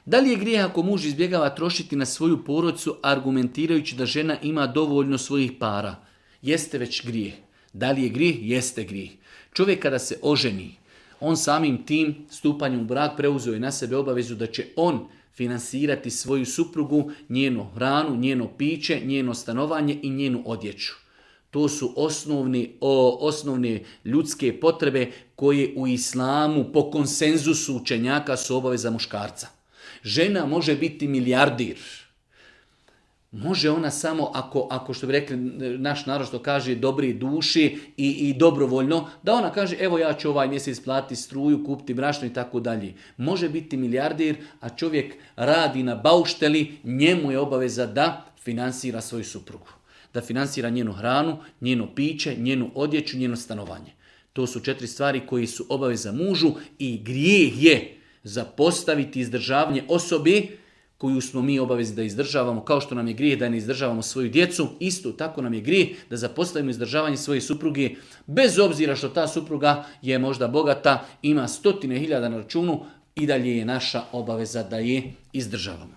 Da li je grijeh ako muž izbjegava trošiti na svoju porodicu argumentirajući da žena ima dovoljno svojih para? Jeste već grijeh. Da li je grijeh? Jeste grijeh. Čovjek kada se oženi, on samim tim stupanjem u brak preuzeo je na sebe obavezu da će on finansirati svoju suprugu, njenu hranu, njeno piće, njeno stanovanje i njenu odjeću. To su osnovne ljudske potrebe koje u islamu po konsenzusu učenjaka su obaveza muškarca. Žena može biti milijardir. Može ona samo ako što bi rekli naš narod što kaže dobri duši i dobrovoljno, da ona kaže evo ja ću ovaj mjesec platiti struju, kupiti brašno i tako dalje. Može biti milijardir, a čovjek radi na baušteli, njemu je obaveza da finansira svoju suprugu. Da finansira njenu hranu, njeno piće, njenu odjeću, njeno stanovanje. To su 4 stvari koji su obaveza mužu i grijeh je zapostaviti izdržavanje osobe koju smo mi obavezni da izdržavamo, kao što nam je grijeh da ne izdržavamo svoju djecu, isto tako nam je grijeh da zapostavimo izdržavanje svoje supruge, bez obzira što ta supruga je možda bogata, ima 100.000 na računu, i dalje je naša obaveza da je izdržavamo.